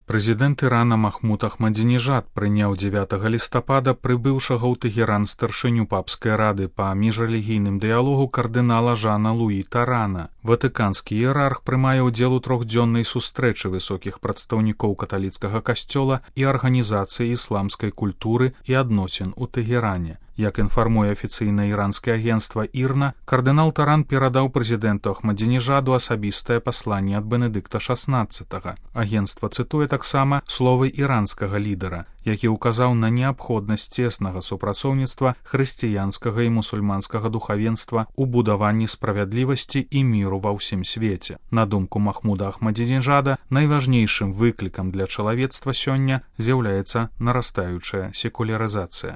Прэзідэнт Ірана Махмуд Ахмадзінежад прыняў 9 лістапада прыбыўшага ў Тэгеран старшыню папскай рады па міжрэлігійным дыялогу кардынала Жана Луі Тарана. Ватыканскі іерарх прымае ўдзел у трохдзённай сустрэчы высокіх прадстаўнікоў каталіцкага касцёла і арганізацыі ісламскай культуры і адносін у Тэгеране. Як інфармуе афіцыйнае іранскае агенцтва ІРНА, кардынал Таран перадаў прэзідэнту Ахмадзінежаду асабістае пасланне ад Бенедыкта XVI. Агенцтва цытуе таксама словы іранскага лідара, які ўказаў на неабходнасць цеснага супрацоўніцтва хрысціянскага і мусульманскага духавенства ў будаванні справядлівасці і міру ва ўсім свеце. На думку Махмуда Ахмадзінежада, найважнейшым выклікам для чалавецтва сёння з'яўляецца нарастаючая секулярызацыя.